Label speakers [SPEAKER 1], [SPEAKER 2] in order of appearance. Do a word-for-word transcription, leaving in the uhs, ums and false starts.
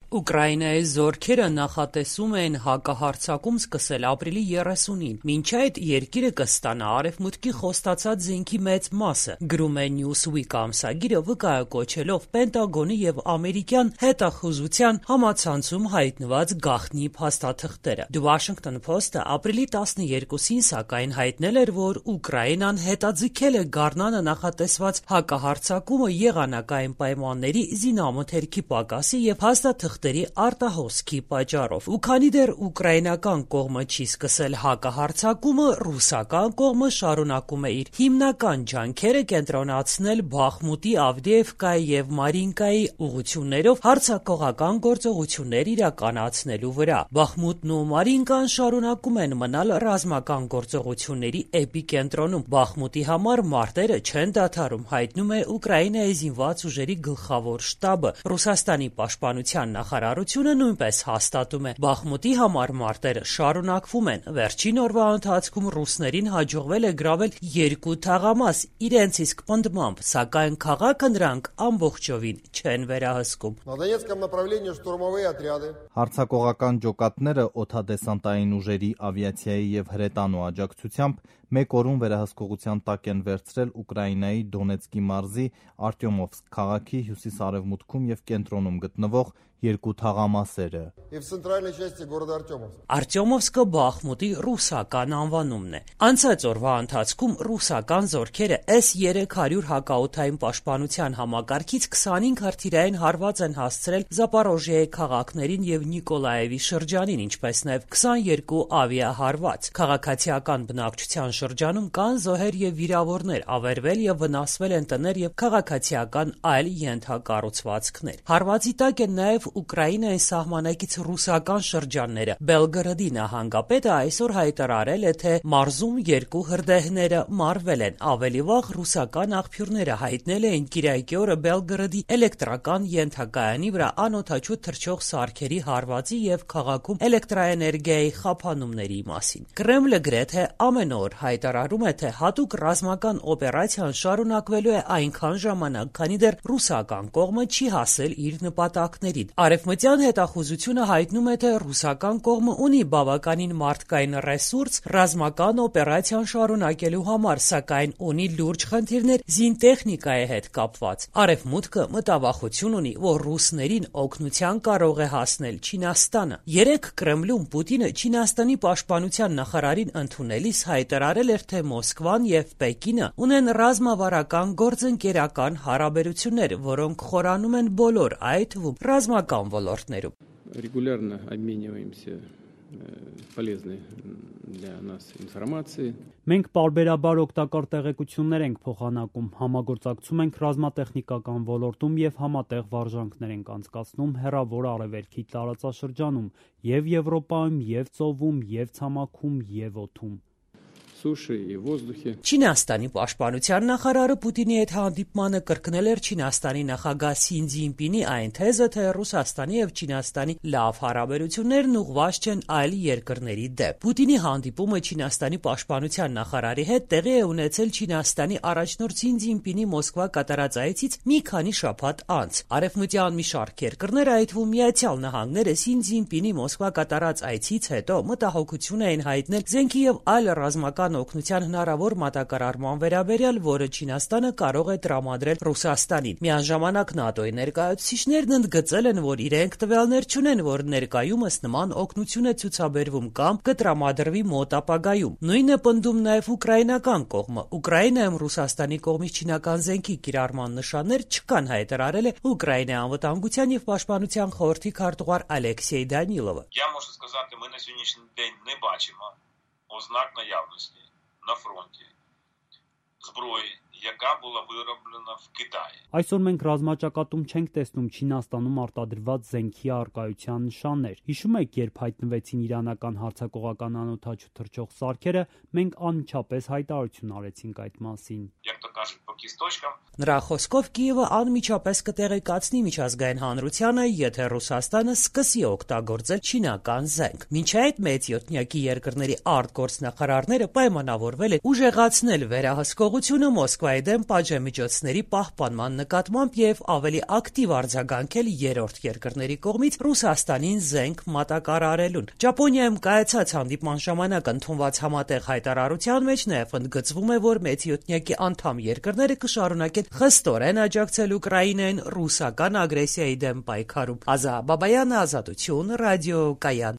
[SPEAKER 1] Ուկրաինայի զորքերը նախատեսում են հակահարձակում սկսել ապրիլի երեսունին, մինչ այդ երկիրը կստանա արևմուտքի խոստացած զենքի մեծ մասը, գրում է Newsweek ամսագիրը, վկայակոչելով Պենտագոնի և ամերիկյան հետախուզության համացանցում հայտնված գաղտնի փաստաթղթերը։ The Washington Post-ը ապրիլի տասներկուսին սակայն հայտնել էր, որ Ուկրաինան հետաձգել է գարնանը նախատեսված հակահարձակումը եղանակային պայմանների, զինամթերքի պակասի և փաստաթղթերի արտահոսքի պատճառով։ Ու քանի դեռ ուկրաինական կողմը չի սկսել հակահարձակումը, ռուսական կողմը շարունակում է իր հիմնական ջանքերը կենտրոնացնել Բախմուտի, Ավդիևկայի և Մարինկայի ուղղություններով հարձակողական գործողություններ իրականացնելու վրա։ Բախմուտն ու Մարինկան շարունակում են մնալ ռազմական գործողությունների էպիկենտրոնում։ Բախմուտի համար մարտերը չեն դադարում, հայտնում է Ուկրաինայի զինված ուժերի գլխավոր շտաբը։ Ռուսաստանի պաշտպանության նախարարությունը նույնպես հաստատում է. Բախմուտի համար մարտերը շարունակվում են։ Վերջին օրվա ընթացքում ռուսներին հաջողվել է գրավել երկու թաղամաս իրենց իսկ պնդմամբ, սակայն քաղաքը նրանք ամբողջովին չեն վերահսկում։
[SPEAKER 2] Հարձակողական ջոկատները օդադեսանտային ուժերի, ավիացիայի և հրետանու աջակցությամբ մեկ օրում վերահսկողության տակ են վերցրել Ուկրաինայի Դոնեցկի մարզի Արտյոմովսկ քաղաքի հյուսիս-արևմուտքում և կենտրոնում գտնվող երկու թաղամասերը։
[SPEAKER 1] Արտյոմովսկը Բախմուտի ռուսական անվանումն է։ Անցած օրվա ընթացքում ռուսական զորքերը S երեք հարյուր հակաօդային պաշտպանության համակարգից քսանհինգ հրթիռային հարված են հասցրել Զապորոժիայի քաղաքներին և Նիկոլաևի շրջանին, ինչպես նաև քսաներկու ավիահարված։ Քաղաքացիական բնակչության շրջանում կան զոհեր և վիրավորներ, ավերվել և վնասվել են տներ և քաղաքացիական այլ ենթակառուցվածքներ։ Հարվածի տակ են նաև Ուկրաինայի սահմանակից ռուսական շրջանները։ Բելգորոդի նահանգապետը այսօր հայտարարել է, թե մարզում երկու հրդեհները մարվել են։ Ավելի վաղ ռուսական աղբյուրները հայտնել էին կիրակի օրը Բելգորոդի էլեկտրական ենթակայանի վրա անօդաչու թռչող սարքերի հարվածի և քաղաքում էլեկտրաէներգիայի խափանումների մասին։ Կրեմլը գրեթե ամեն օր հայտարարում է, թե հատուկ ռազմական օպերացիան շարունակվելու է այնքան ժամանակ, քանի դեռ ռուսական կողմը չի հասել իր նպատակներին։ Արևմտյան հետախուզությունը հայտնում է, թե ռուսական կողմը ունի բավականին մարդկային ռեսուրս ռազմական օպերացիան շարունակելու համար, սակայն ունի լուրջ խնդիրներ զինտեխնիկայի հետ կապված։ Արևմուտքը մտավախություն ունի, որ ռուսներին օգնության կարող է հասնել Չինաստանը։ Երեկ Կրեմլում Պուտինը Չինաստանի պաշտպանության նախարարին ընդունելիս հայտարարել էր, թե Մոսկվան և Պեկինը ունեն ռազմավարական գործընկերական հարաբերություններ, որոնք խորանում են բոլոր, այդ թվում ռազմական ոլորտներում։
[SPEAKER 3] Регулярно обмениваемся полезной для нас информацией.
[SPEAKER 4] Մենք պարբերաբար օգտակար տեղեկություններ ենք փոխանակում, համագործակցում ենք ռազմատեխնիկական ոլորտում և համատեղ վարժանքներ ենք անցկացնում հեռավոր արևելքի տարածաշրջանում, և Եվրոպայում, և ծովում, և ցամաքում, և օդում։
[SPEAKER 1] Չինաստանի պաշտպանության նախարարը Պուտինի հետ հանդիպմանը կրկնել էր Չինաստանի նախագահ Սին Ցզինպինի այն թեզը, թե Ռուսաստանի և Չինաստանի լավ հարաբերություններն ուղղված չեն այլ երկրների դեմ։ Պուտինի հանդիպումը Չինաստանի պաշտպանության նախարարի հետ տեղի է ունեցել Չինաստանի առաջնորդ Սին Ցզինպինի Մոսկվա կատարած այցից մի քանի շաբաթ անց։ Արևմտյան մի շարք երկրներ, այդ թվում Միացյալ Նահանգները, Սին Ցզինպինի Մոսկվա կատարած այցից հետո մտահոգություն էին հայտնել զենքի և այլ ռազմական օգնության հնարավոր մատակարարման վերաբերյալ, որը Չինաստանը կարող է տրամադրել Ռուսաստանին։ Միաժամանակ ՆԱՏՕ-ի ներկայացուցիչներն ընդգծել են, որ իրենք տվյալներ չունեն, որ ներկայումս նման օգնություն է ցուցաբերվում կամ կտրամադրվի մոտ ապագայում։ Նույնն է պնդում նաև ուկրաինական կողմը։ Ուկրաինայում Ռուսաստանի կողմից չինական զենքի կիրառման նշաններ չկան, հայտարարել է Ուկրաինայի անվտանգության և պաշտպանության խորհրդի քարտուղար Ալեքսեյ Դանիլովը։
[SPEAKER 5] Ознак наявності на фронті зброї, яка була вироблена в Китаї.
[SPEAKER 4] Այսօր մենք ռազմաճակատում չենք տեսնում Չինաստանում արտադրված զենքի առկայության նշաններ։ Հիշում եք, երբ հայտնվեցին իրանական հարձակողական անօդաչու թռչող սարքերը, մենք անմիջապես հայտարարություն արեցինք այդ մասին։
[SPEAKER 5] Як то кажуть, по кісточкам.
[SPEAKER 1] Նրա խոսքով Կիևը անմիջապես կտեղեկացնի միջազգային հանրությանը, եթե Ռուսաստանը սկսի օգտագործել չինական զենք։ Մինչ այդ մեծ յոթնյակի երկրների արտգործնախարարները պայմանավորվել են ուժեղացնել վերահսկողությունը Մոսկվայի Մոսկվայի դեմ պատժամիջոցների պահպանման նկատմամբ եւ ավելի ակտիվ արձագանքել երրորդ երկրների կողմից Ռուսաստանին զենք մատակարարելուն։ Ճապոնիայում կայացած հանդիպման ժամանակ ընդունված համատեղ հայտարարության մեջ նաեւ ընդգծվում է, որ մեծյոթնյակի անդամ երկրները կշարունակեն խստորեն աջակցել Ուկրաինային ռուսական ագրեսիայի դեմ պայքարում։ Ազա Բաբայանը, Ազատություն, ռադիոկայան։